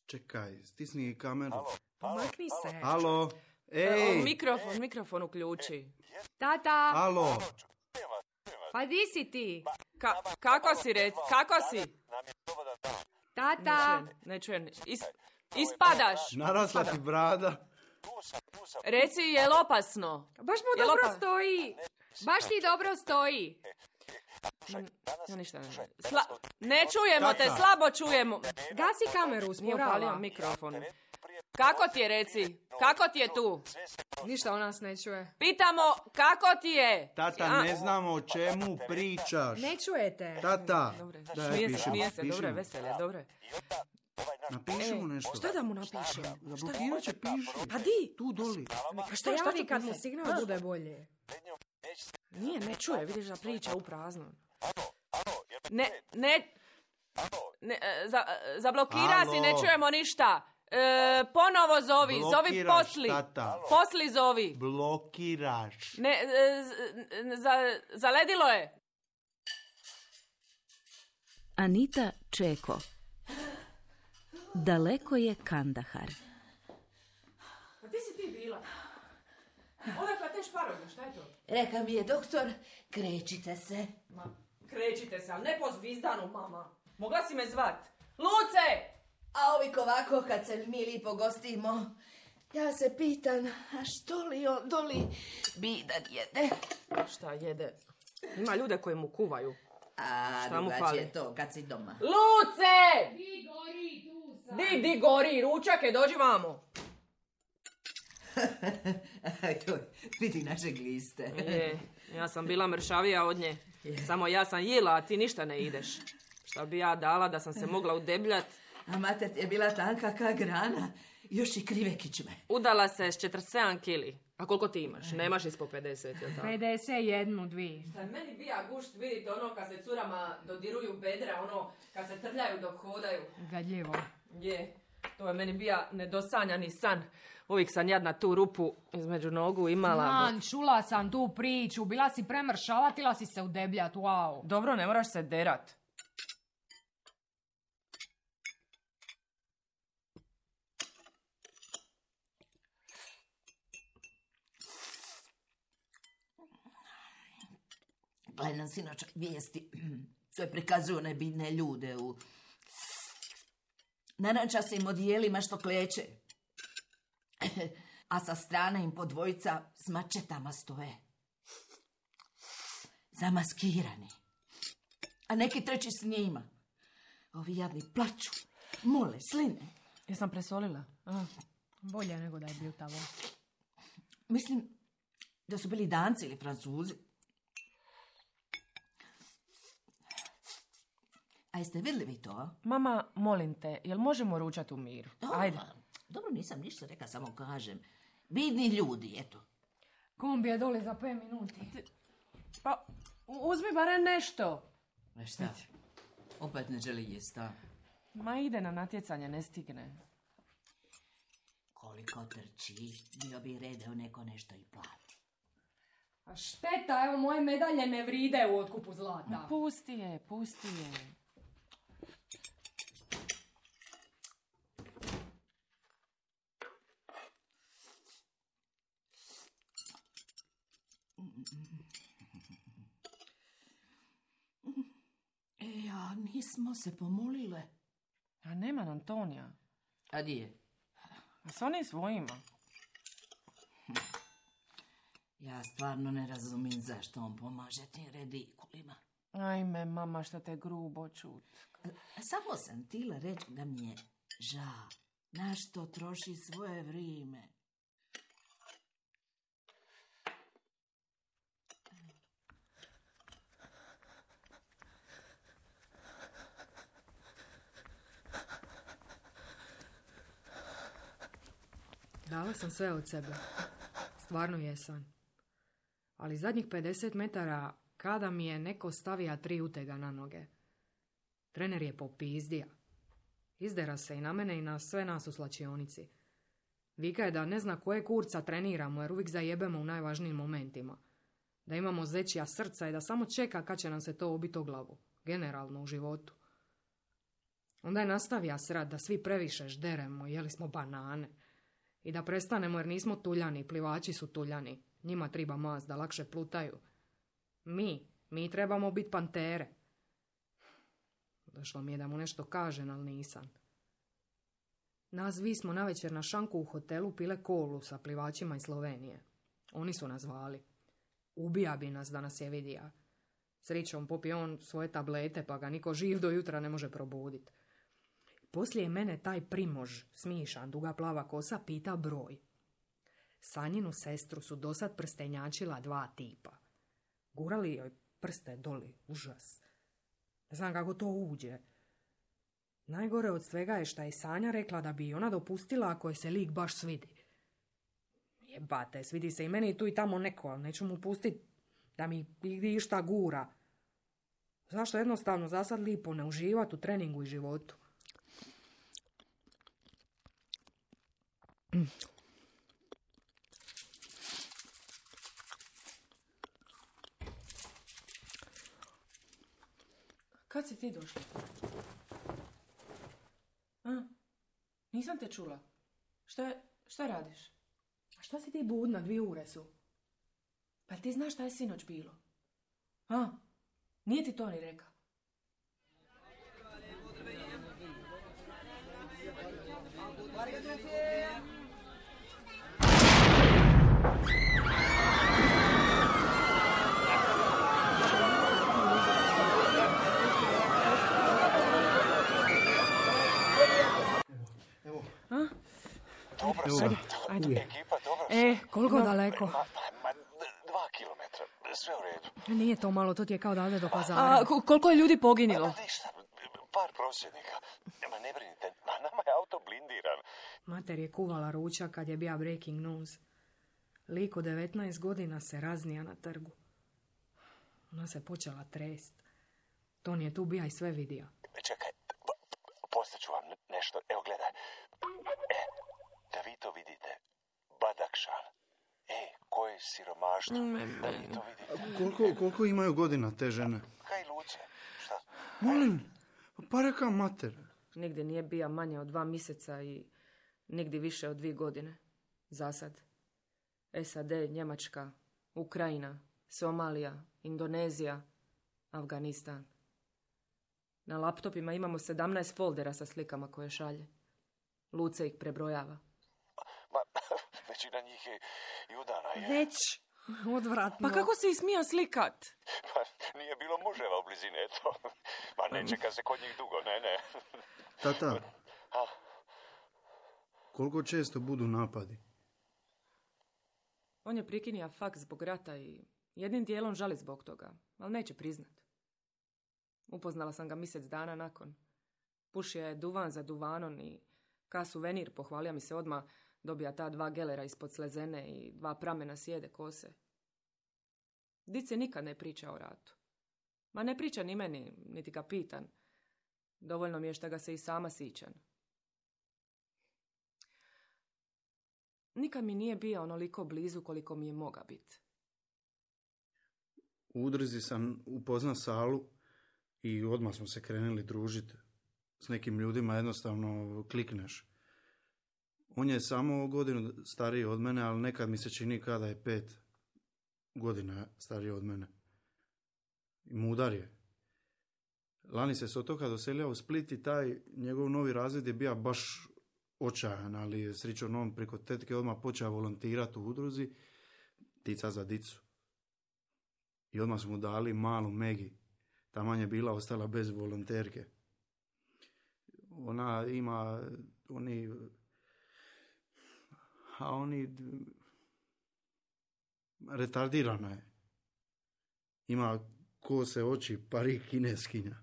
Čekaj, stisni kameru. Pomakni se. Alo, ej! Mikrofon uključi. Tata, Alo, pa di si ti? Kako si, kako si? Tata, Ne čujem. Ispadaš. narasla ti brada. Reci, je li opasno? baš mu dobro stoji. Baš ti dobro stoji. Ja ništa ne. Ne čujemo te, Tata. slabo čujemo. Gasi kameru, Nije upalio usporava. mikrofon. Kako ti je, reci? Kako ti je tu? Ništa on nas ne čuje. Pitamo, kako ti je? Tata, ne znamo o čemu pričaš. Ne čujete. Tata, Dobre, daj, smije se, pišimo. dobre, veselje, dobre. Napiši mu nešto. Šta da mu napišem? Zablokirat će, piši. Pa di? Tu doli. Pa Šta javi kad mu signal bude bolje? Nije, ne čuje, vidiš da priča u prazno. Zablokira si, ne Alo. čujemo ništa. Ponovo zovi Blokiraš, posli. tata. Posli zovi. Blokiraš. Ne, zaledilo je. Anita Čeko. Daleko je Kandahar. Pa ti si ti bila? Odakle te šparoge, šta je to? Reka mi je doktor, krećite se. Ma, krećite se, ali ne po zvizdanu, mama. Mogla si me zvat. Luce! A ovik ovako, kad se mi lipo gostimo, ja se pitam, a što li on doli bidan jede? Šta jede? Ima ljude koji mu kuvaju. A Šta mu drugačije fali? to kad si doma. Luce! Di gori, tu sam. Di gori, ručake, dođi vamo. Vidi naše gliste. Je, ja sam bila mršavija od nje. Samo ja sam jela, a ti ništa ne ideš. Šta bi ja dala da sam se mogla udebljat? A mater ti je bila tanka ka grana, još i krive kičme. Udala se s 47 kili. A koliko ti imaš? Nemaš ispod 50, jel tako? 51, 2. Šta meni bija gušt, vidite ono kad se curama dodiruju bedra, ono kad se trljaju dok hodaju. Gadljivo. Je, to je meni bija nedosanjani san. Uvijek sam jadna tu rupu između nogu imala. Man, čula sam tu priču, bila si premršavatila si se udebljat, wow. Dobro, ne moraš se derat. Gledam sinoć vijesti koje prikazuju nebitne ljude u narančastim odijelima što kleče. A sa strane im po dvojica s mačetama stoje. Zamaskirani. A neki treći s njima. Ovi jadni plaču, mole, sline. Jesam presolila? Bolje nego da je bio tamo. Mislim da su bili Danci ili Francuzi. A jeste vidjeli vi to? Mama, molim te, jel možemo ručati u miru? Dobro, Ajde. dobro, nisam ništa rekla, samo kažem. Vidni ljudi, eto. Kombi je dole za 5 minuti. Pa, uzmi barem nešto. E šta? Opet ne želi jest, a? Ma ide na natjecanje, ne stigne. Koliko trči, bio bi redeo neko nešto i plati. A šteta, evo moje medalje ne vride u otkupu zlata. Pusti je, pusti je. A nismo se pomolile. A nema Antonija. A di je? A s onim svojima. Ja stvarno ne razumijem zašto on pomaže tim redikulima. Ajme, mama, šta te grubo čut. Samo sam htjela reći da mi je žao. Na što troši svoje vrijeme. Dala sam sve od sebe. Stvarno jesam. Ali zadnjih 50 metara kada mi je neko stavija 3 utega na noge. Trener je popizdija. Izdera se i na mene i na sve nas u slačionici. Vika je da ne zna koje kurca treniramo jer uvijek zajebemo u najvažnijim momentima. Da imamo zećija srca i da samo čeka kad će nam se to obiti o glavu. Generalno u životu. Onda je nastavio srat da svi previše žderemo, jeli smo banane. I da prestanemo jer nismo tuljani, plivači su tuljani. Njima treba mast da lakše plutaju. Mi trebamo biti pantere. Došlo mi je da mu nešto kažem, ali nisam. Nas vi smo navečer na šanku u hotelu pile kolu sa plivačima iz Slovenije. Oni su nas zvali. Ubija bi nas da nas je vidija. Srećom popije on svoje tablete pa ga niko živ do jutra ne može probuditi. Poslije mene taj Primož, smišan, duga plava kosa, pita broj. Sanjinu sestru su dosad prstenjačila 2 tipa. Gurali joj prste doli, užas. Ne znam kako to uđe. Najgore od svega je šta je Sanja rekla da bi ona dopustila ako je se lik baš svidi. Jebate, svidi se i meni tu i tamo neko, ali neću mu pustiti da mi išta gura. Zašto jednostavno zasad lipo ne uživati u treningu i životu? Kad si ti došla? Nisam te čula. Šta radiš? A šta si ti budna, 2 ure su? Pa ti znaš šta je sinoć bilo? Nije ti to ni rekao? Ajde. Ekipa, dobro. Koliko daleko? 2 kilometra, sve u redu. Nije to malo, to ti je kao dalje do Pazara. Koliko je ljudi poginilo? Ništa, par prosvjednika. Ma ne brinite, nama je auto blindiran. Mater je kuvala ručak kad je bija breaking news. Lik od 19 godina se raznija na trgu. Ona se počela trest. Ton je tu bija i sve vidio. Čekaj, postaću vam nešto. Evo, gledaj. Da vi to vidite. Badakšan. Koje siromaštvo. Da vi to vidite. Koliko imaju godina te žene? Kaj luce? Šta? Molim, pa reka mater. Nigdje nije bija manje od 2 mjeseca i nigdje više od 2 godine. Zasad. SAD, Njemačka, Ukrajina, Somalija, Indonezija, Afganistan. Na laptopima imamo 17 foldera sa slikama koje šalje. Luce ih prebrojava. Ma, većina njih je i udana. Već odvratno. Pa kako se smija slikat? Pa nije bilo muževa u blizini, eto. Ma ne čeka se kod njih dugo, ne. Tata, koliko često budu napadi? On je prikinija faks zbog rata i jednim dijelom žali zbog toga, ali neće priznat. Upoznala sam ga mjesec dana nakon. Pušio je duvan za duvanom i ka suvenir pohvalio mi se odmah dobija ta 2 gelera ispod slezene i 2 pramena sjede kose. Dice nikad ne priča o ratu. Ma ne priča ni meni, niti ga pitan. Dovoljno mi je što ga se i sama sićan. Nikad mi nije bio onoliko blizu koliko mi je moga biti. U udruzi sam upoznao Salu i odmah smo se krenuli družiti. S nekim ljudima jednostavno klikneš. On je samo godinu stariji od mene, ali nekad mi se čini kada je 5 godina stariji od mene. I mudar je. Lani se s otoka doselio u Split i taj njegov novi razred je bio baš očajan, ali je srećom on preko tetke odmah počeo volontirati u udruzi Tica za dicu. I odmah smo mu dali malu Megi. Taman je bila ostala bez volonterke. Ona ima retardirana je. Ima kose oči, parik kineskinja.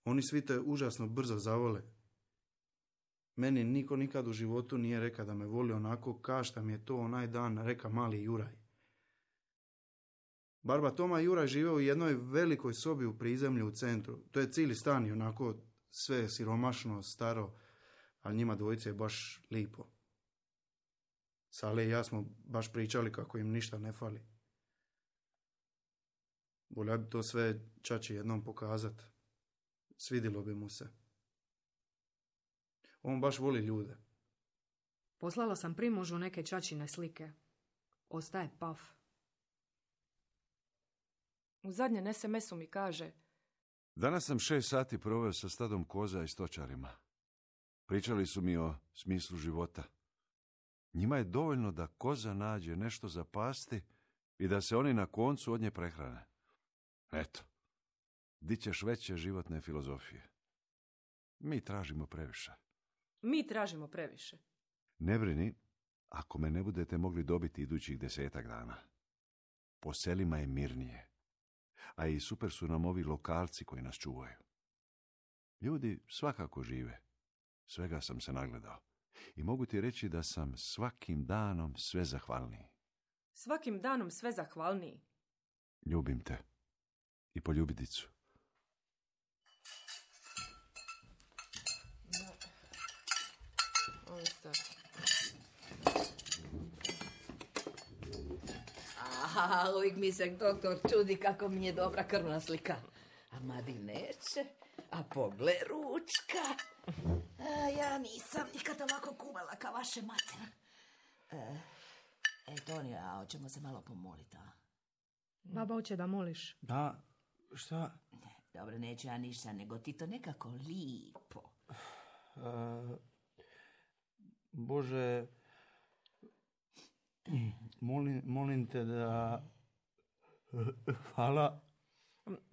Oni svi te užasno brzo zavole. Meni niko nikad u životu nije rekao da me voli onako ka šta mi je to onaj dan reka mali Juraj. Barba Toma i Juraj žive u jednoj velikoj sobi u prizemlju u centru. To je cijeli stan i onako sve siromašno, staro, ali njima dvojice je baš lipo. Sale i ja smo baš pričali kako im ništa ne fali. Volja bi to sve čači jednom pokazat. Svidilo bi mu se. On baš voli ljude. Poslala sam Primožu neke čačine slike. Ostaje paf. U zadnjem SMS-u mi kaže: Danas sam 6 sati proveo sa stadom koza i stočarima. Pričali su mi o smislu života. Njima je dovoljno da koza nađe nešto za pasti i da se oni na koncu od nje prehrane. Eto, di ćeš veće životne filozofije. Mi tražimo previše. Mi tražimo previše. Ne brini, ako me ne budete mogli dobiti idućih 10 dana. Po selima je mirnije. A i super su nam ovi lokalci koji nas čuvaju. Ljudi svakako žive. Svega sam se nagledao. I mogu ti reći da sam svakim danom sve zahvalniji. Svakim danom sve zahvalniji. Ljubim te. I poljubidicu. Aha, uvijek mi se doktor čudi kako mi je dobra krvna slika. A Madi neće, a pogle ručka. Ja nisam nikad ovako kuvala kao vaše mater. Tonija, a hoćemo se malo pomoliti, a? Baba hoće da moliš. Da, šta? Dobro, neću ja ništa, nego ti to nekako lipo. Bože, molim te da... Hvala.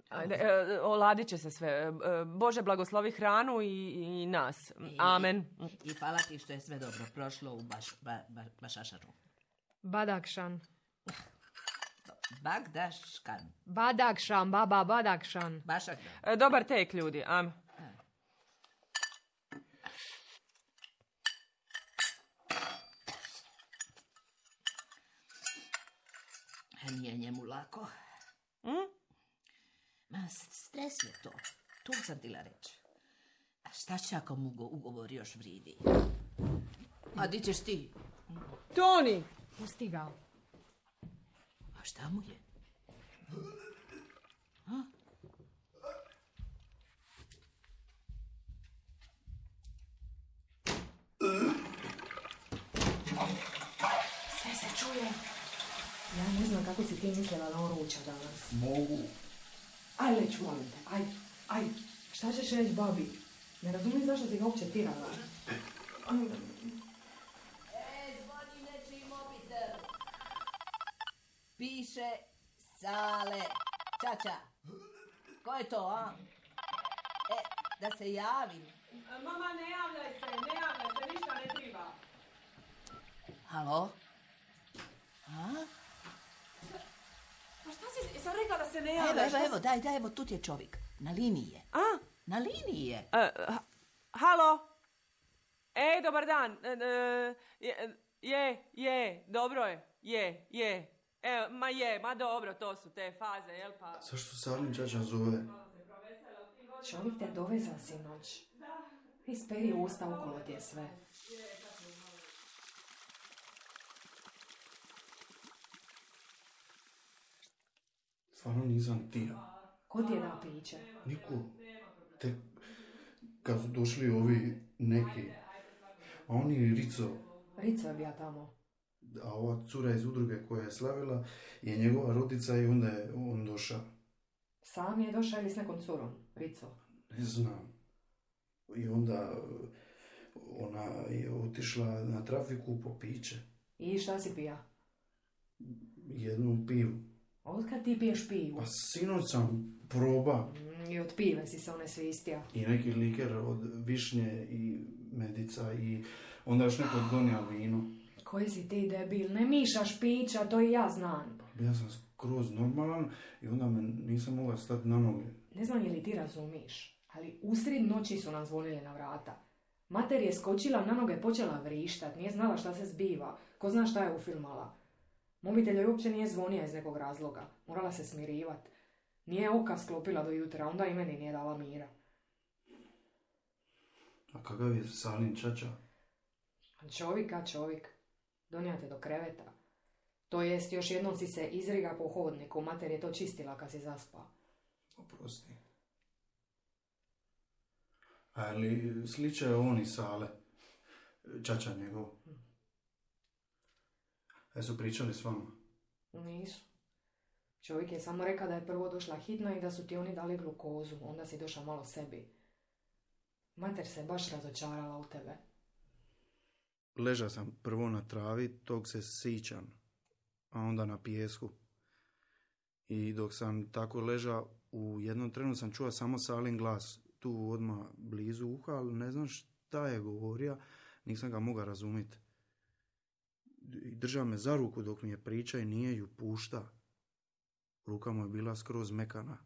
Ajde, oladit će se sve. Bože, blagoslovi hranu i nas. Amen. I hvala ti što je sve dobro prošlo u Bašašaru. Badakšan. Bagdaškan. Badakšan, baba, Badakšan. Bašakdan. Dobar tek, ljudi. Amen. Nije njemu lako. Ma, stres je to. Tu sam tila reći. A šta će ako mu ugovor još vridi? A di ćeš ti? Toni! Pusti ga. A šta mu je? A? Sve se čuje. Ja ne znam kako si ti mislila da on ruča danas. Mogu. Aj, leć, molim te. Aj. Šta ćeš reći babi? Ne razumijem zašto si ga uopće tirala. Zvoni nečiji mobitel. Piše Sale. Čača. Ko je to, a? Da se javim. Mama, ne javljaj se, ništa ne triba. Halo? A? Pa šta si, sam rekla da se ne javljaš? Evo, daj, tu ti je čovjek. Na liniji je. A? Na liniji je. Halo? Dobar dan. Dobro je. Ma dobro, to su te faze, jel pa? Zašto Salin čača zove? Čovjek te doveza sinoć. Isperi usta, okolo ti je sve. Stvarno nisam tija. Ko ti je da piće? Niko. Tek kad su došli ovi neki, a oni i Rico. Rico je bija tamo. A ova cura iz udruge koja je slavila je njegova rodica i onda je on došao. Sam je došao ili s nekom curom? Rico? Ne znam. I onda ona je otišla na trafiku po piće. I šta si pija? Jednu pivu. Otkad ti piješ pivu? Pa sinoć sam proba. I od pive si se one svistija. I neki liker od višnje i medica i onda još neko donio vino. Koji si ti debil? Ne mišaš pića, to i ja znam. Ja sam skroz normalan i onda me nisam mogla stati na noge. Ne znam je li ti razumiš, ali usred noći su nam zvonili na vrata. Mater je skočila na noge, počela vrištat, nije znala šta se zbiva. Ko zna šta je ufilmala. Mobitel joj uopće nije zvonija iz nekog razloga. Morala se smirivat. Nije oka sklopila do jutra, onda i meni nije dala mira. A kakav je Salin čača? Čovjek. Donijate do kreveta. To jest, još jednom si se izriga po hodniku, mater je to čistila kad si zaspao. Oprosti. Ali sliča je on i Sale. Čača njegov. Su pričali s vama? Nisu. Čovjek je samo rekao da je prvo došla hitna i da su ti oni dali glukozu. Onda si došao malo sebi. Mater se baš razočarala u tebe. Ležao sam prvo na travi, tog se sićam, a onda na pijesku. I dok sam tako ležao, u jednom trenu sam čuo samo Salin glas, tu odmah blizu uha, ali ne znam šta je govorio, nisam ga mogao razumjeti. Držao me za ruku dok mi je priča i nije ju pušta. Ruka mu je bila skroz mekana,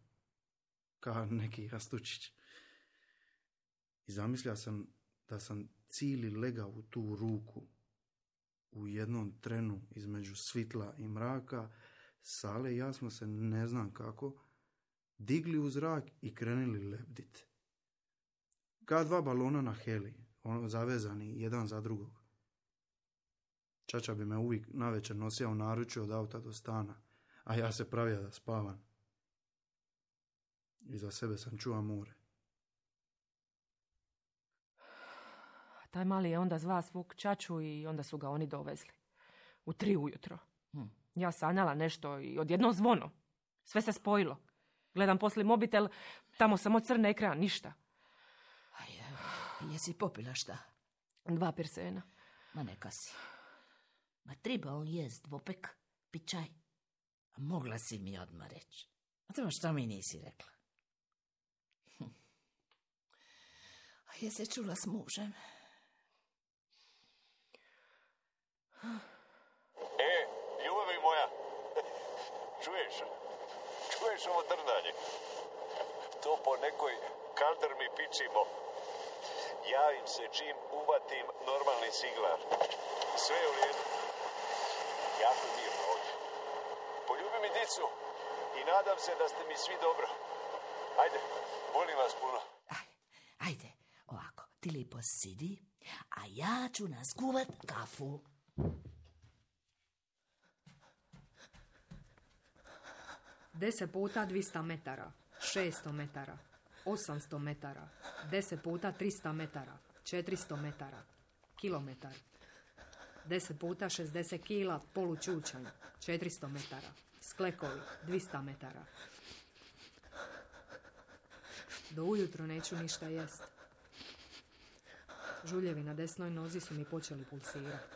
kao neki jastučić. I zamislio sam da sam cijeli legao u tu ruku. U jednom trenu između svitla i mraka, Sale i ja smo se, ne znam kako, digli u zrak i krenuli lebdit. Kao dva balona na heli, zavezani jedan za drugog. Čača bi me uvijek navečer nosio u naručju od auta do stana, a ja se pravio da spavam. Iza sebe sam čuo more. Taj mali je onda zva svog čaču i onda su ga oni dovezli. U 3 ujutro. Ja sanjala nešto i odjednom zvono. Sve se spojilo. Gledam poslije mobitel, tamo samo crni ekran, ništa. Jesi popila šta? 2 pirsena. Ma neka si. Ma treba on jest dvopek, pit čaj. A mogla si mi odmah reći. A to što mi nisi rekla? A jesi čula s mužem? Ljubavi moja, čuješ ovo drndanje? To po nekoj kaldrmi pičimo. Javim se čim uvatim normalni siglar. Sve je u redu. Jako mirno ovdje. Poljubi mi dicu i nadam se da ste mi svi dobro. Ajde, volim vas puno. Ajde, ovako, ti lijepo sidi, a ja ću naskuvat kafu. Deset puta 200 metara, 600 metara, 800 metara, 10 puta 300 metara, 400 metara, kilometar, 10 puta 60 kila, polučučanj, 400 metara, sklekovi, 200 metara. Do ujutro neću ništa jest. Žuljevi na desnoj nozi su mi počeli pulsirati.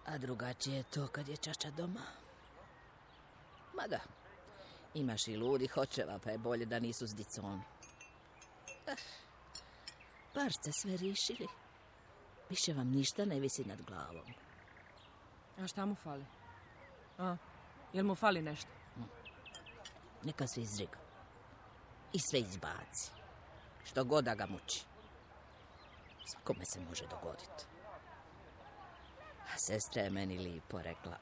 A drugačije je to kad je čača doma. Mada, imaš i ludih očeva, pa je bolje da nisu s dicom. Bar ste sve riješili. Više vam ništa ne visi nad glavom. A šta mu fali? Jel mu fali nešto? Neka se izriga. I sve izbaci. Što god da ga muči. Svakome se može dogoditi. A sestra je meni lipo rekla: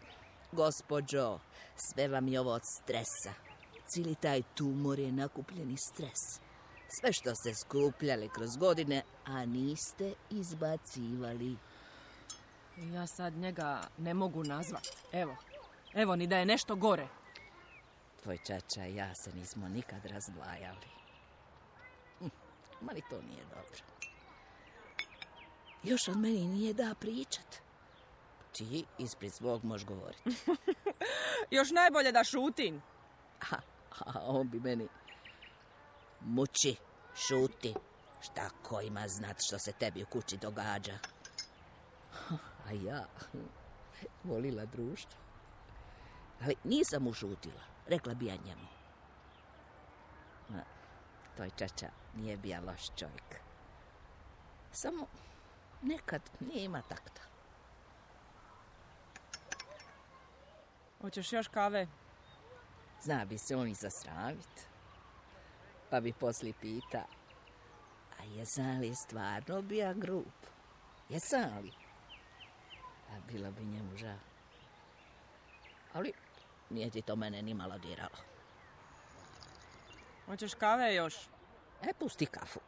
gospođo, sve vam je ovo od stresa. Cijeli taj tumor je nakupljeni stres. Sve što ste skupljali kroz godine, a niste izbacivali. Ja sad njega ne mogu nazvat. Evo, ni da je nešto gore. Tvoj čača i ja se nismo nikad razdvajali. Ma ni to nije dobro. Još od meni nije da pričat. Ti ispred svog možeš govoriti. Još najbolje da šutim. A on bi meni: muči, šuti. Šta ko ima znat što se tebi u kući događa? A ja volila društvo. Ali nisam ušutila. Rekla bi ja njemu. Toj čača nije bija loš čovjek. Samo nekad nije ima takta. Hoćeš još kave? Zna bi se on i zasravit. Pa bi poslije pita: a jesam li stvarno bija grub? Jesam li? A bilo bi njemu žao. Ali nije ti to mene ni malo diralo. Hoćeš kave još? Pusti kafu.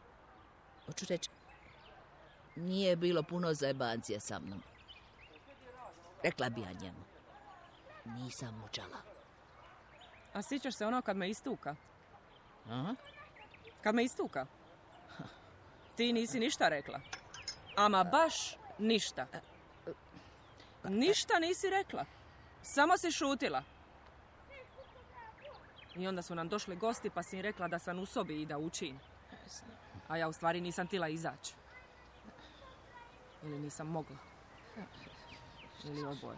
Hoću reći, nije bilo puno zajebancije sa mnom. Rekla bi ja njemu: nisam mučala. A sjećaš se ono kad me istuka? Aha. Kad me istuka. Ti nisi ništa rekla. Ama baš ništa. Ništa nisi rekla. Samo si šutila. I onda su nam došli gosti pa si im rekla da sam u sobi i da učim. A ja u stvari nisam tila izaći. Ili nisam mogla. Ili oboje.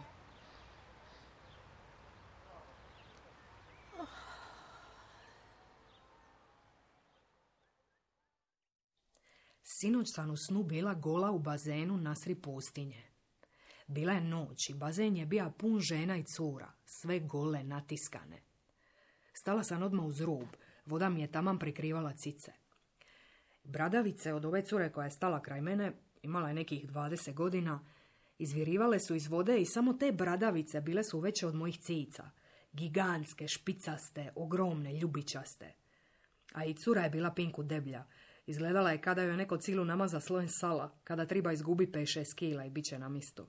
Sinoć sam u snu bila gola u bazenu nasri pustinje. Bila je noć i bazen je bio pun žena i cura, sve gole, natiskane. Stala sam odmah uz rub, voda mi je taman prikrivala cice. Bradavice od ove cure koja je stala kraj mene, imala je nekih 20 godina, izvirivale su iz vode i samo te bradavice bile su veće od mojih cica. Gigantske, špicaste, ogromne, ljubičaste. A i cura je bila pinku deblja. Izgledala je kada joj neko cilu namaza slojem sala, kada treba izgubi 5-6 kila i bit će na mistu.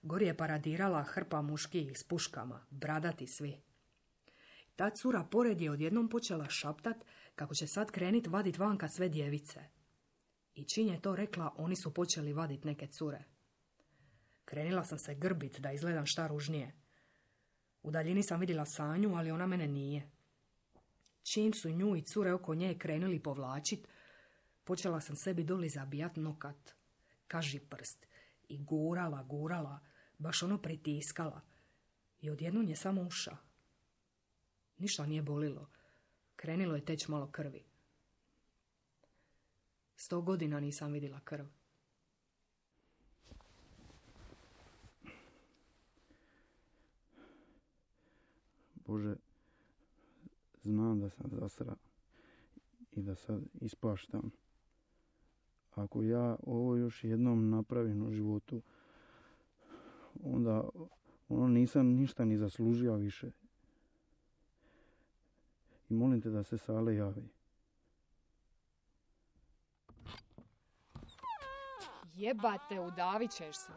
Gori je paradirala hrpa muških s puškama, bradati svi. Ta cura pored je odjednom počela šaptat kako će sad krenit vadit vanka sve djevice. I čim je to rekla, oni su počeli vadit neke cure. Krenila sam se grbit da izgledam šta ružnije. U daljini sam vidjela Sanju, ali ona mene nije. Čim su nju i cure oko nje krenuli povlačit, počela sam sebi doli zabijat nokat, kaži prst, i gurala, baš ono pritiskala. I odjednom je samo uša. Ništa nije bolilo. Krenilo je teć malo krvi. 100 godina nisam vidjela krv. Bože, znam da sam zasra i da sad ispaštam. Ako ja ovo još jednom napravim u životu, onda nisam ništa ni zaslužio više. I molim te da se Sale javi. Jebate, udavit ćeš se.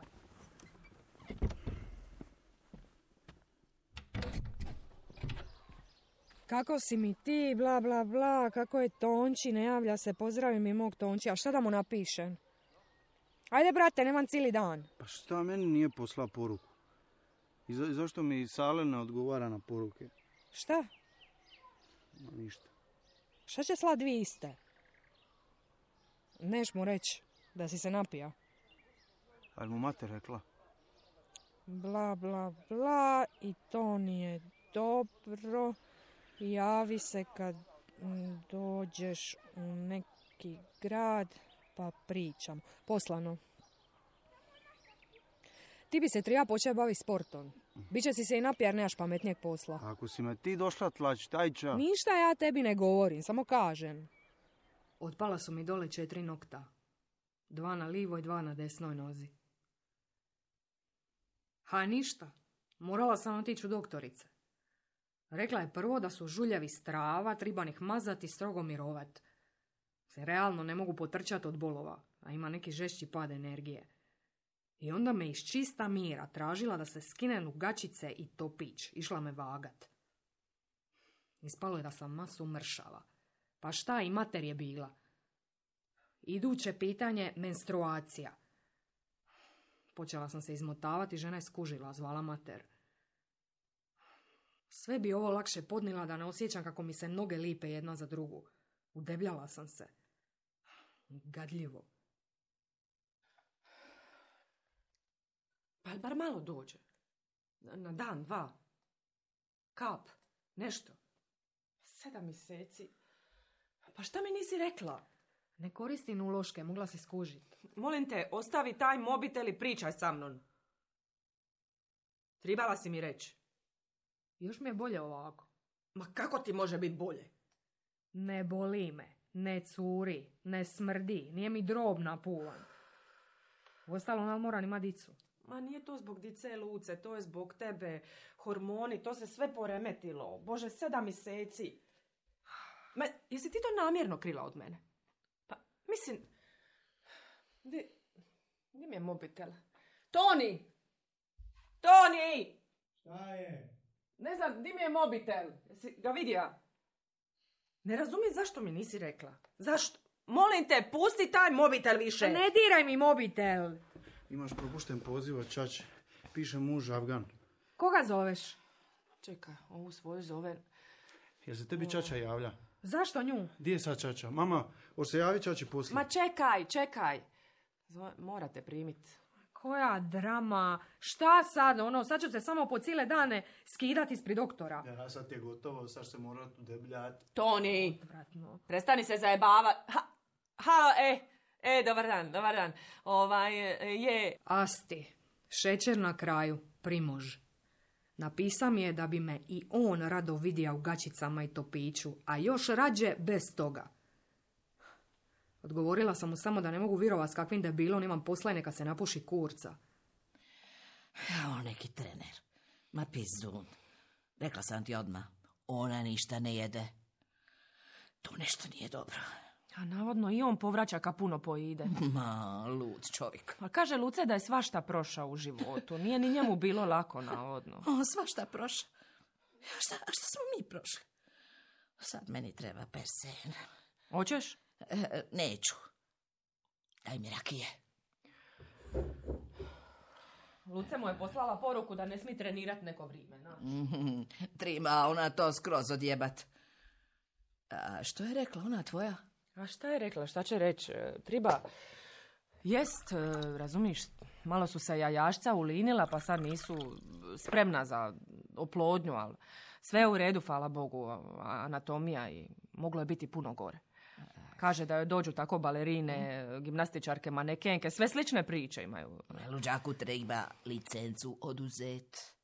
Kako si mi ti, bla bla bla, kako je Tonči, ne javlja se, pozdravi mi mog Tonči, a šta da mu napišem? Ajde brate, nemam cijeli dan. Pa šta meni nije posla poruku? I zašto mi Sale ne odgovara na poruke? Šta? No, ništa. Šta će slat dvije iste? Neš mu reći da si se napija. Ali mu mater rekla? Bla bla bla i to nije dobro. Javi se kad dođeš u neki grad pa pričam. Poslano. Ti bi se treba početi baviti sportom. Biće si se i napija jer nemaš pametnijeg posla. Ako si me ti došla tlačit, aj ča. Ništa ja tebi ne govorim, samo kažem. Otpala su mi dole 4 nokta. 2 na livoj, 2 na desnoj nozi. Ha, ništa. Morala sam otići u doktorice. Rekla je prvo da su žuljevi strava, triban ih mazati i strogo mirovat. Se realno ne mogu potrčati od bolova, a ima neki žešći pad energije. I onda me iz čista mira tražila da se skine lugačice i topić. Išla me vagat. Ispalo je da sam masu mršava. Pa šta i mater je bila? Iduće pitanje, menstruacija. Počela sam se izmotavati, žena je skužila, zvala mater. Sve bi ovo lakše podnila da ne osjećam kako mi se noge lipe jedna za drugu. Udebljala sam se. Gadljivo. Pa bar malo dođe. Na dan, 2. Kap. Nešto. 7 mjeseci. Pa šta mi nisi rekla? Ne koristim uloške, mogla si skužiti. Molim te, ostavi taj mobitel i pričaj sa mnom. Tribala si mi reći. Još mi je bolje ovako. Ma kako ti može biti bolje? Ne boli me, ne curi, ne smrdi, nije mi drob napuvan. Uostalom, ali moram ima dicu. Ma nije to zbog dice Luce, to je zbog tebe. Hormoni, to se sve poremetilo. Bože, 7 mjeseci. Ma, jesi ti to namjerno krila od mene? Pa, mislim... Di mi je mobitel? Toni! Toni! Šta je? Ne znam, di mi je mobitel? Jesi ga vidio? Ne razumijem zašto mi nisi rekla. Zašto? Molim te, pusti taj mobitel više. Ne diraj mi mobitel. Imaš propušten poziv od ćaće. Piše muž Afgan. Koga zoveš? Čekaj, ovu svoju zove... Jel se tebi ćaća javlja? Zašto nju? Di je sad ćaća? Mama, hoće se javi ćaći poslije? Ma čekaj. Morate primiti. Koja drama. Šta sad? Sad ću se samo po cijele dane skidati ispred doktora. Ja, sad je gotovo, sad se morat udebljati. Toni, Vratno. prestani se zajebavati. Halo, dobar dan. Je... Asti, šećer na kraju, Primož. Napisa mi je da bi me i on rado vidio u gaćicama i topiću, a još rađe bez toga. Odgovorila sam mu samo da ne mogu vjerovati s kakvim debilom imam posla i neka se napuši kurca. On neki trener. Ma pizdun. Rekla sam ti odmah. Ona ništa ne jede. To nešto nije dobro. A navodno i on povraća ka puno pojide. Ma, lud čovjek. A kaže Luce da je svašta prošao u životu. Nije ni njemu bilo lako, navodno. O, svašta prošao. A šta smo mi prošli? Sad meni treba persen. Hoćeš? Neću. Daj mi rakije. Luce mu je poslala poruku da ne smije trenirati neko vrijeme. Trima ona to skroz odjebat. A što je rekla ona tvoja? A šta je rekla? Šta će reći? Triba... Jest, razumiš, malo su se jajašca ulinila, pa sad nisu spremna za oplodnju, ali sve je u redu, hvala Bogu, anatomija i moglo je biti puno gore. Kaže da joj dođu tako balerine, gimnastičarke, manekenke, sve slične priče imaju. Luđaku treba licencu oduzet.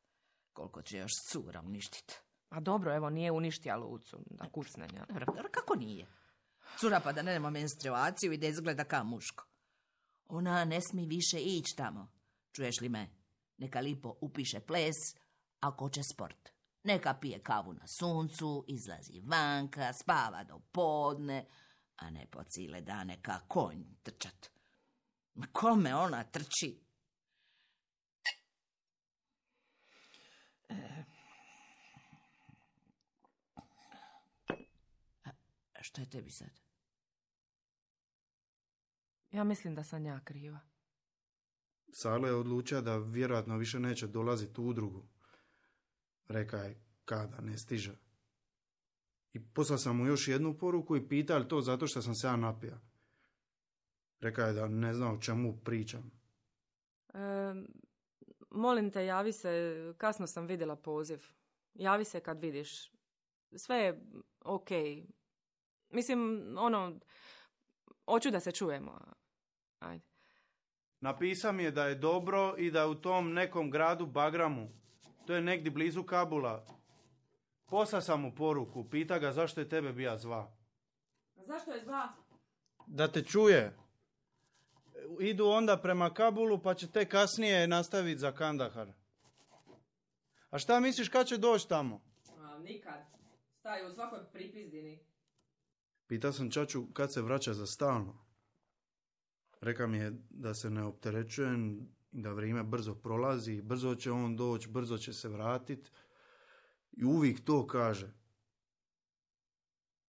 Koliko će još cura uništiti. A dobro, evo, nije uništija Lucu, da kucne. Dobro, kako nije? Cura pa da nema menstruaciju i da izgleda kao muško. Ona ne smije više ići tamo. Čuješ li me? Neka lipo upiše ples, ako hoće sport. Neka pije kavu na suncu, izlazi vanka, spava do podne, a ne po cijele dane ka konj trčat. Ma kome ona trči? A što je tebi sad? Ja mislim da sam ja kriva. Salo je odlučio da vjerojatno više neće dolaziti u udrugu. Reka je kada ne stiže. I poslao sam mu još jednu poruku i pitao to zato što sam se ja napija. Reka je da ne zna o čemu pričam. Molim te, javi se, kasno sam vidjela poziv. Javi se kad vidiš. Sve je okej. Mislim, hoću da se čujemo. Ajde. Napisao mi je da je dobro i da u tom nekom gradu Bagramu. To je negdje blizu Kabula. Poslao sam mu poruku, pita ga zašto je tebe bija zva. Zašto je zva? Da te čuje. Idu onda prema Kabulu pa će te kasnije nastaviti za Kandahar. A šta misliš kad će doći tamo? Nikad. Staju u svakoj pripizdini. Pitao sam ćaću kad se vraća za stalno. Reka mi je da se ne opterećujem, da vrijeme brzo prolazi, brzo će on doći, brzo će se vratiti. I uvijek to kaže.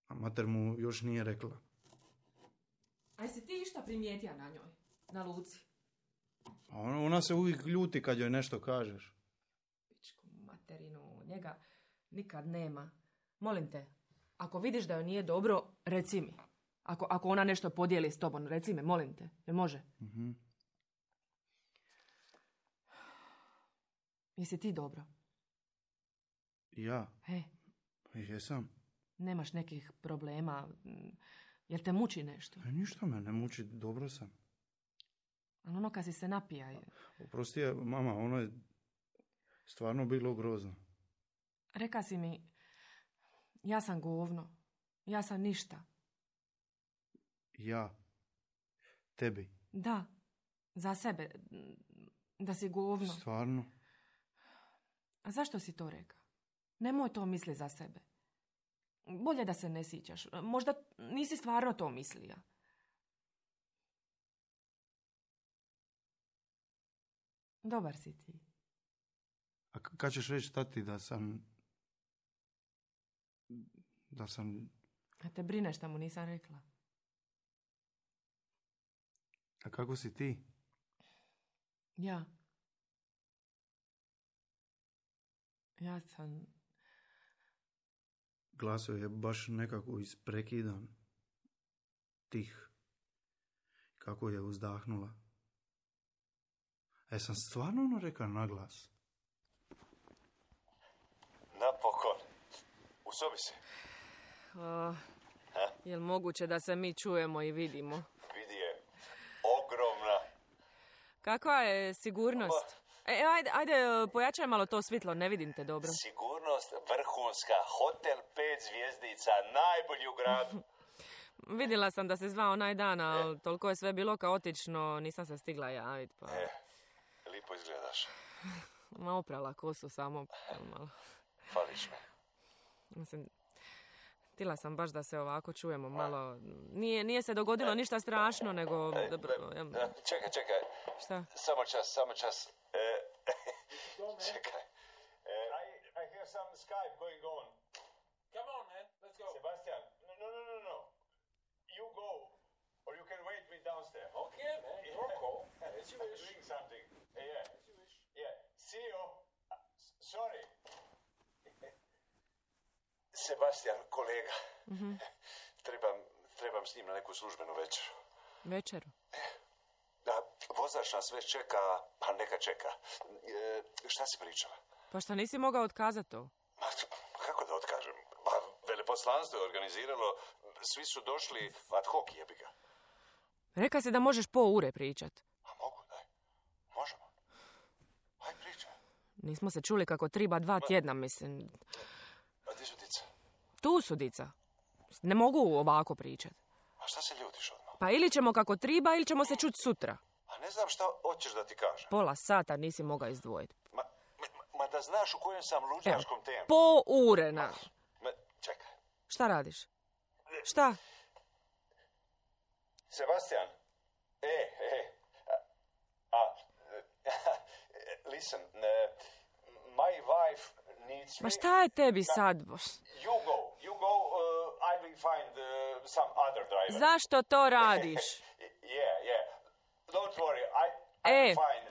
A mater mu još nije rekla. A si ti išta primijetija na njoj? Na Luci? A ona se uvijek ljuti kad joj nešto kažeš. Pičku materinu, njega nikad nema. Molim te, ako vidiš da joj nije dobro, reci mi. Ako ona nešto podijeli s tobom, reci mi, molim te. Jel može? Mhm. Jesi ti dobro? Ja? He, Jesam. nemaš nekih problema? Jel te muči nešto? Ništa me ne muči, dobro sam. Ali kad si se napija... Oprosti je, mama, ono je stvarno bilo grozno. Reka si mi, ja sam govno. Ja sam ništa. Ja? Tebi? Da, za sebe. Da si govno. Stvarno? A zašto si to rekao? Nemoj to misli za sebe. Bolje da se ne sjećaš. Možda nisi stvarno to mislija. Dobar si ti. A kad ćeš reći tati da sam A te brine šta mu nisam rekla. A kako si ti? Ja sam... Glaso je baš nekako isprekidan. Tih. Kako je uzdahnula. Sam stvarno ono rekao na glas? Napokon. U sobi si. Jel moguće da se mi čujemo i vidimo? Vidi je. Ogromna. Kakva je sigurnost? Ajde, pojačaj malo to svitlo, ne vidim te dobro. Sigurnost vrhunska. Hotel 5 zvjezdica. Najbolji u gradu. Vidjela sam da se zvao onaj dan, ali toliko je sve bilo kaotično, nisam se stigla javiti. Pa... Lipo izgledaš. Ma oprala kosu samo malo. Fališ me. Mislim, htjela sam baš da se ovako čujemo malo. Nije se dogodilo ništa strašno, nego... Čekaj. Šta? Samo čas. Čekaj. I hear some Skype going on. Come on, man. Let's go. Sebastian, no. You go, or you can wait me downstairs. Okay, man. Rocco, as you wish. Doing something. Yeah. As you wish. Yeah. See you. Sorry. Sebastian, kolega. Mm-hmm. Trebam s njim na neku službenu večeru. Večeru? Da, vozač nas već čeka, pa neka čeka. Šta si pričala? Pa šta nisi mogao otkazati to? Kako da otkažem? Veleposlanstvo je organiziralo, svi su došli ad hoc, jebi ga. Reka si da možeš po ure pričat. A mogu, daj. Možemo. Aj, pričaj. Nismo se čuli kako triba 2 tjedna, mislim. A gdje su dica? Tu su dica. Ne mogu ovako pričat. A šta se ljutiš odmah? Pa ili ćemo kako triba, ili ćemo se čuti sutra. A ne znam šta hoćeš da ti kažem. Pola sata nisi mogao izdvojiti. Ma da znaš u kojem sam luđaškom temu. Po ure, na. Čekaj. Šta radiš? Šta? Sebastian. Listen, my wife needs me... Ma šta je tebi sad? You go, I will find some other driver. Zašto to radiš? Yeah. Don't worry, I'm fine.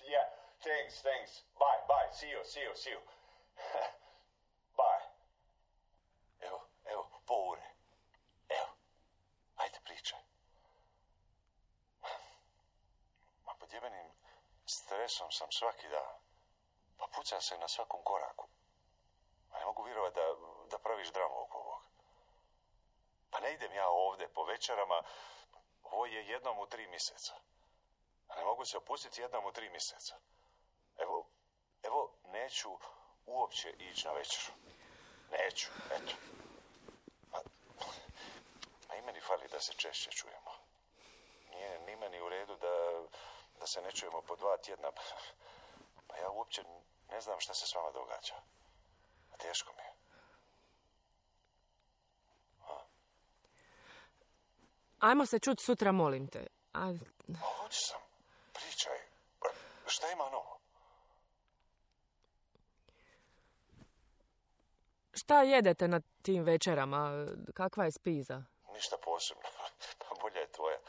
Yeah. Thanks. Bye. See you. Bye. Evo, po ure. Evo, ajde pričaj. Ma pod jebenim stresom sam svaki dan. Pa puca se na svakom koraku. A ne mogu vjerovati da praviš dramu oko ovog. Pa ne idem ja ovdje po večerama. Ovo je jednom u 3 mjeseca. A ne mogu se opustiti jednom u 3 mjeseca. Evo, neću uopće ići na večeru. Neću, eto. Pa i meni fali da se češće čujemo. Nije ni meni u redu da se ne čujemo po 2 tjedna. Pa ja uopće ne znam šta se s vama događa. A teško mi je. Ajmo se čuti sutra, molim te. Hoću sam. Pričaj. Šta ima novo? Šta jedete na tim večerama? Kakva je spiza? Ništa posebno. Pa bolja je tvoja.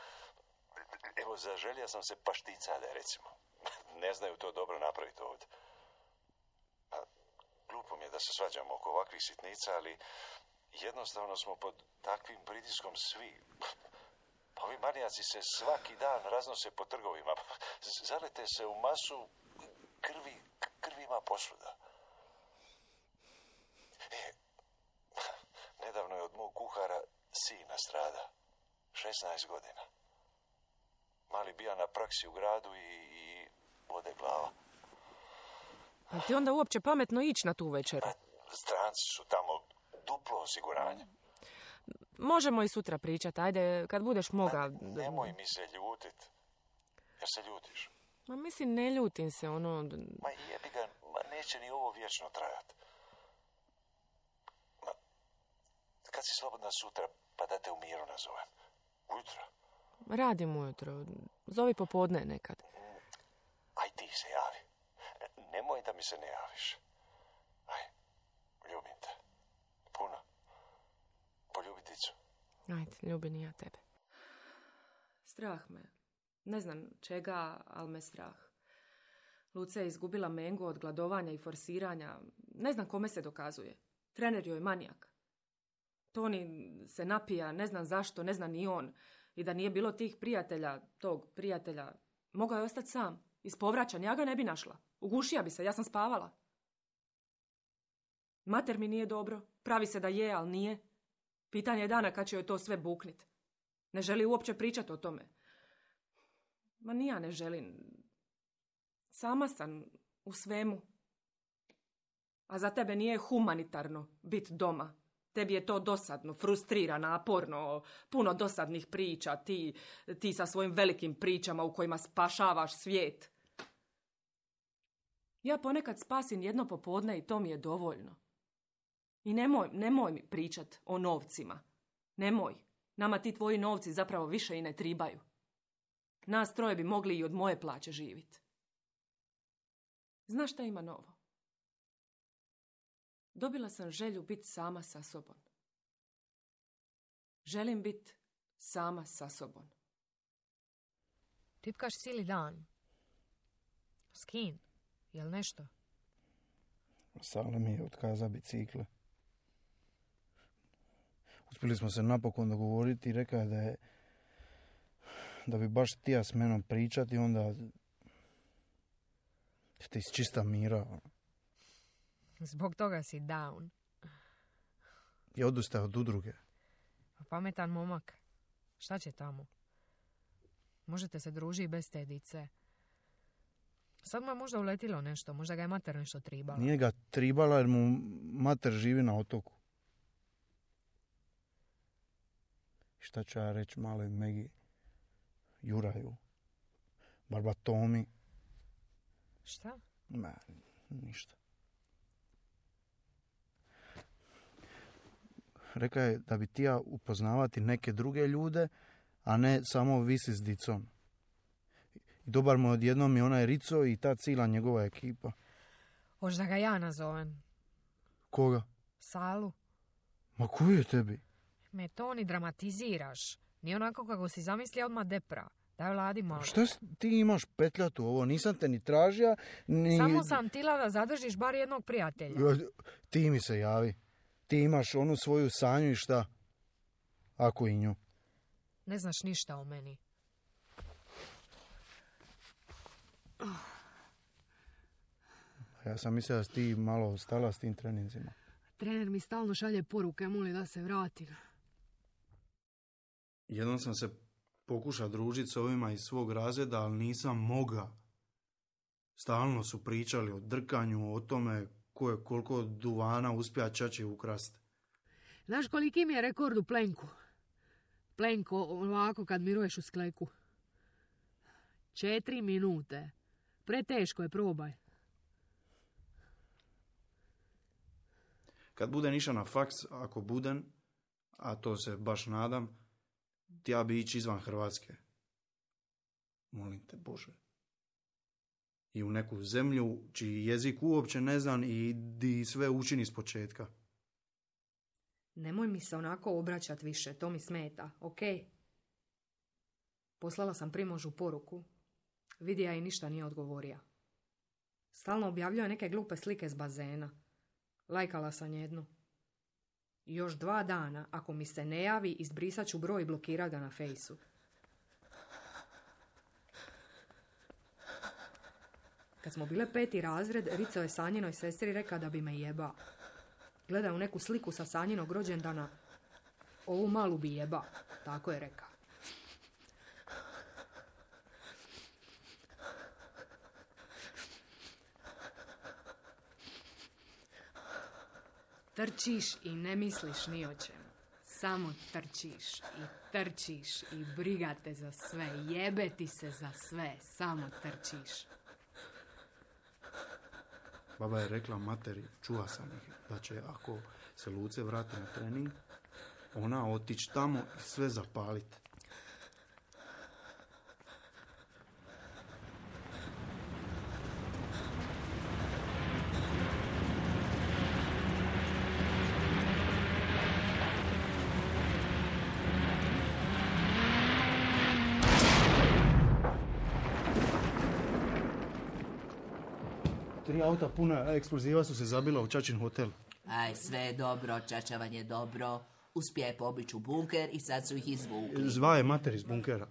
Evo, zaželja sam se pašticade, recimo. Ne znaju to dobro napraviti ovdje. Pa, glupo mi je da se svađamo oko ovakvih sitnica, ali jednostavno smo pod takvim pritiskom svi. Pa ovi manijaci se svaki dan raznose po trgovima. Zalete se u masu, krvi ima posvuda. Nedavno je od mog kuhara sin nastrada. 16 godina. Mali bija na praksi u gradu i ode glava. A ti onda uopće pametno ići na tu večeru? Stranci su tamo, duplo osiguranje. Možemo i sutra pričati, ajde, kad budeš moga. Nemoj mi se ljutit. Jer se ljutiš. Ma mislim, ne ljutim se, ono... Ma jebi ga, neće ni ovo vječno trajati. Kad si slobodna sutra, pa da te u miru nazovem. Ujutro. Radim ujutro. Zovi popodne nekad. Aj ti se javi. Nemoj da mi se ne javiš. Aj, ljubim te. Puno. Ajde, ljubim i ja tebe. Strah me. Ne znam čega, ali me strah. Luce je izgubila mengu od gladovanja i forsiranja. Ne znam kome se dokazuje. Trener joj je manijak. Toni se napija, ne znam zašto, ne zna ni on. I da nije bilo tog prijatelja, mogao je ostati sam. Ispovraćan, ja ga ne bi našla. Ugušija bi se, ja sam spavala. Mater mi nije dobro, pravi se da je, ali nije. Pitanje je dana kad će joj to sve buknit. Ne želi uopće pričati o tome. Ma ni ja ne želim. Sama sam u svemu. A za tebe nije humanitarno biti doma. Tebi je to dosadno, frustrira, naporno, puno dosadnih priča, ti sa svojim velikim pričama u kojima spašavaš svijet. Ja ponekad spasim jedno popodne i to mi je dovoljno. I nemoj mi pričat o novcima. Nemoj. Nama ti tvoji novci zapravo više i ne tribaju. Nas troje bi mogli i od moje plaće živjeti. Znaš šta ima novo? Dobila sam želju biti sama sa sobom. Želim biti sama sa sobom. Tipkaš cijeli dan. S kim? Jel nešto? Sale mi je otkazao bicikle. Uspjeli smo se napokon dogovoriti i rekao je da bi baš htio s menom pričati, onda te iz čista mira. Zbog toga si down. I odustao od udruge. Pametan momak. Šta će tamo? Možete se družiti bez te dice. Sad mu je možda uletilo nešto. Možda ga je mater nešto tribala. Nije ga tribala jer mu mater živi na otoku. Šta ću ja reći maloj Megi? Juraju. Barbatomi. Šta? Ma, ništa. Rekao je da bi tija upoznavati neke druge ljude, a ne samo visi s dicom. I dobar mu odjednom i onaj Rico i ta cila njegova ekipa. Hoš da ga ja nazovem? Koga? Salu. Ma koji je tebi? Me to ni dramatiziraš. Nije onako kako si zamislio odmah depra. Daj vladi malo. Šta ti imaš petljatu ovo? Nisam te ni tražija, ni... Samo sam tila da zadržiš bar jednog prijatelja. Ti mi se javi. Ti imaš onu svoju sanju i šta? Ako i nju. Ne znaš ništa o meni. Ja sam mislila da si ti malo stala s tim treninzima. Trener mi stalno šalje poruke, moli da se vratim. Jednom sam se pokušao družiti s ovima iz svog razreda, ali nisam mogao. Stalno su pričali o drkanju, o tome ko je koliko duvana uspija čači ukrast. Znaš koliki mi je rekord u plenku? Plenko ovako kad miruješ u skleku. 4 minute. Preteško je, probaj. Kad budem išao na faks, ako budem, a to se baš nadam, ti ja bi ići izvan Hrvatske. Molim te, Bože. I u neku zemlju čiji jezik uopće ne znam i di sve učini s početka. Nemoj mi se onako obraćat više, to mi smeta, ok? Poslala sam Primožu poruku. Vidija i ništa nije odgovorio. Stalno objavljuje neke glupe slike s bazena. Lajkala sam jednu. Još 2 dana, ako mi se ne javi, izbrisat ću broj i blokirat ga na fejsu. Kad smo bile 5. razred, Rico je Sanjinoj sestri rekao da bi me jeba. Gleda u neku sliku sa Sanjinog rođendana. Ovu malu bi jeba. Tako je rekao. Trčiš i ne misliš ni o čemu. Samo trčiš i trčiš i briga te za sve. Jebe ti se za sve. Samo trčiš. Baba je rekla materi, čuva sam ih, da će ako se Luce vrati na trening, ona otići tamo i sve zapaliti. 3 auta puna eksploziva su se zabila u Čačin hotel. Aj, sve je dobro, čačavan je dobro. Uspije pobići u bunker i sad su ih izvukli. Zva je mater iz bunkera.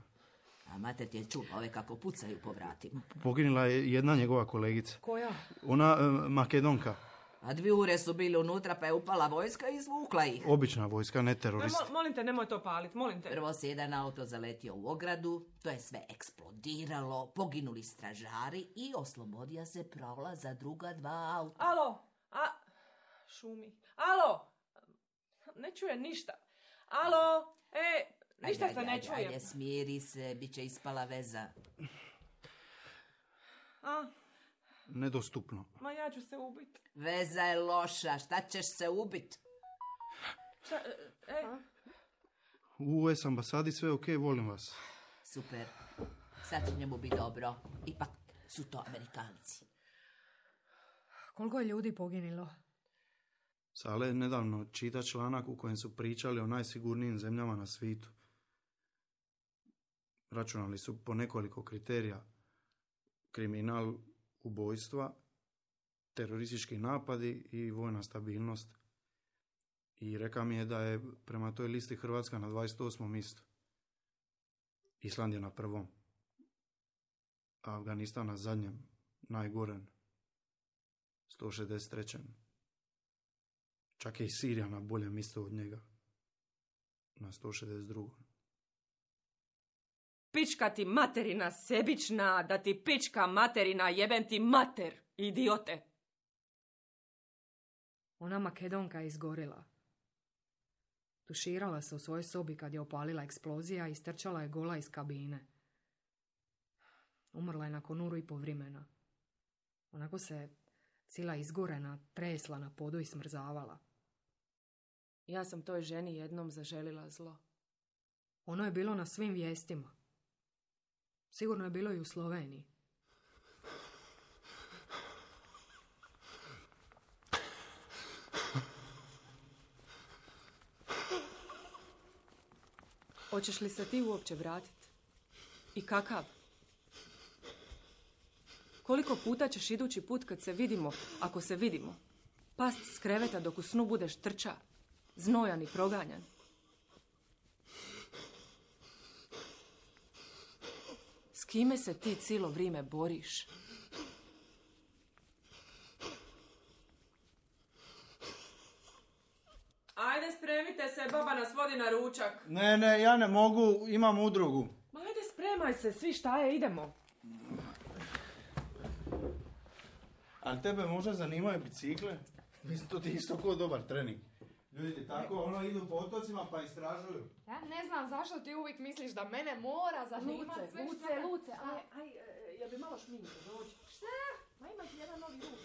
A mater ti je čula ove kako pucaju po vratima. Poginula je jedna njegova kolegica. Koja? Ona Makedonka. A 2 ure su bili unutra pa je upala vojska i izvukla ih. Obična vojska, ne teroristi. Molim te, nemoj to palit, molim te. Prvo se jedan auto zaletio u ogradu, to je sve eksplodiralo, poginuli stražari i oslobodio se prolaz za druga 2 auta. Alo, šumi. Alo, ne čuje ništa. Alo, ništa se ne čuje. Ajde, smiri se, bit će ispala veza. Nedostupno. Ma ja ću se ubiti. Veza je loša, šta ćeš se ubit? U US ambasadi sve ok, volim vas. Super, sad će njemu biti dobro. Ipak su to Amerikanci. Koliko je ljudi poginilo? Sale nedavno čita članak u kojem su pričali o najsigurnijim zemljama na svijetu. Računali su po nekoliko kriterija. Kriminal, ubojstva, teroristički napadi i vojna stabilnost. I reka mi je da je prema toj listi Hrvatska na 28. mjestu. Island je na 1. A Afganistan na zadnjem, najgorem, 163. Čak je i Sirija na boljem mjestu od njega, na 162. Pička ti materina sebična, da ti pička materina, jebem ti mater, idiote. Ona Makedonka je izgorila. Tuširala se u svojoj sobi kad je opalila eksplozija i istrčala je gola iz kabine. Umrla je nakon 1,5 ura vremena. Onako se cila izgorena tresla na podu i smrzavala. Ja sam toj ženi jednom zaželila zlo. Ono je bilo na svim vijestima. Sigurno je bilo i u Sloveniji. Hoćeš li se ti uopće vratiti? I kakav? Koliko puta ćeš idući put kad se vidimo, ako se vidimo, past s kreveta dok u snu budeš trča, znojan i proganjan? S kime se ti cijelo vrijeme boriš? Ajde, spremite se, baba nas vodi na ručak. Ne, ja ne mogu, imam udrugu. Ma ajde, spremaj se, svi šta je, idemo. Ali tebe možda zanimaju bicikle? Mislim, to ti isto ko dobar trening. Ljudi tako, idu po otocima pa istražuju. Ja ne znam zašto ti uvijek misliš da mene mora zanimati sve što... Luce, jel bi malo šminke, dođi. Šta? Ma ima ti jedan novi ruk,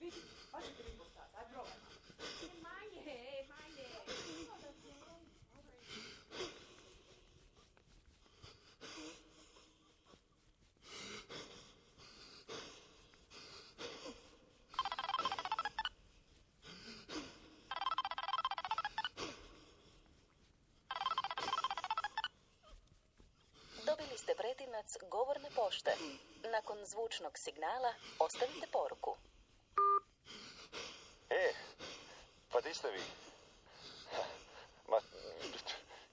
vidi, baš će ti biti postati, aj probaj. Manje. Dobili ste pretinac govorne pošte. Nakon zvučnog signala ostavite poruku. Pa di ste vi? Ma,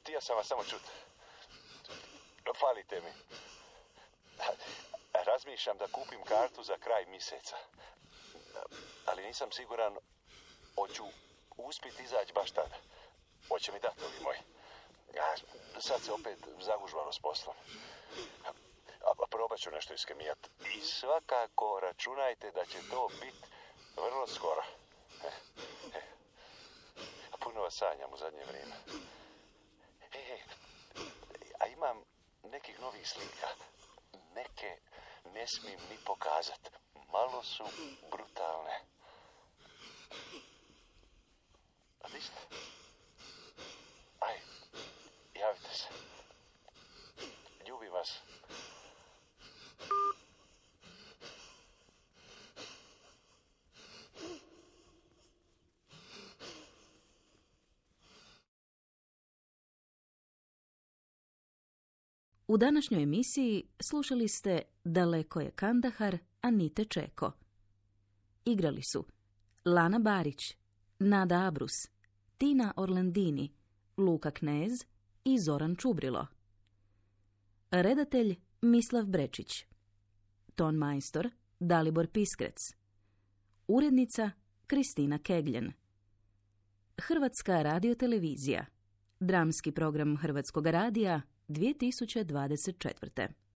htio sam vas samo čuti. Falite mi. Razmišljam da kupim kartu za kraj mjeseca. Ali nisam siguran hoću uspjeti izaći baš tada. Hoće mi dati ovi moji. Sad se opet zagužvalo s poslom. Probat ću nešto iskemijat. I svakako računajte da će to biti vrlo skoro. Puno vas sanjam u zadnje vrijeme. A imam nekih novih slika. Neke ne smijem ni pokazat. Malo su brutalne. A di ste? Aj, javite se. Ljubim vas. U današnjoj emisiji slušali ste Daleko je Kandahar, Anite Čeko. igrali su Lana Barić, Nada Abrus, Tina Orlandini, Luka Knez i Zoran Čubrilo. Redatelj Mislav Brečić. Ton majstor Dalibor Piskrec. Urednica Kristina Kegljen. Hrvatska radiotelevizija. Dramski program Hrvatskog radija 2024.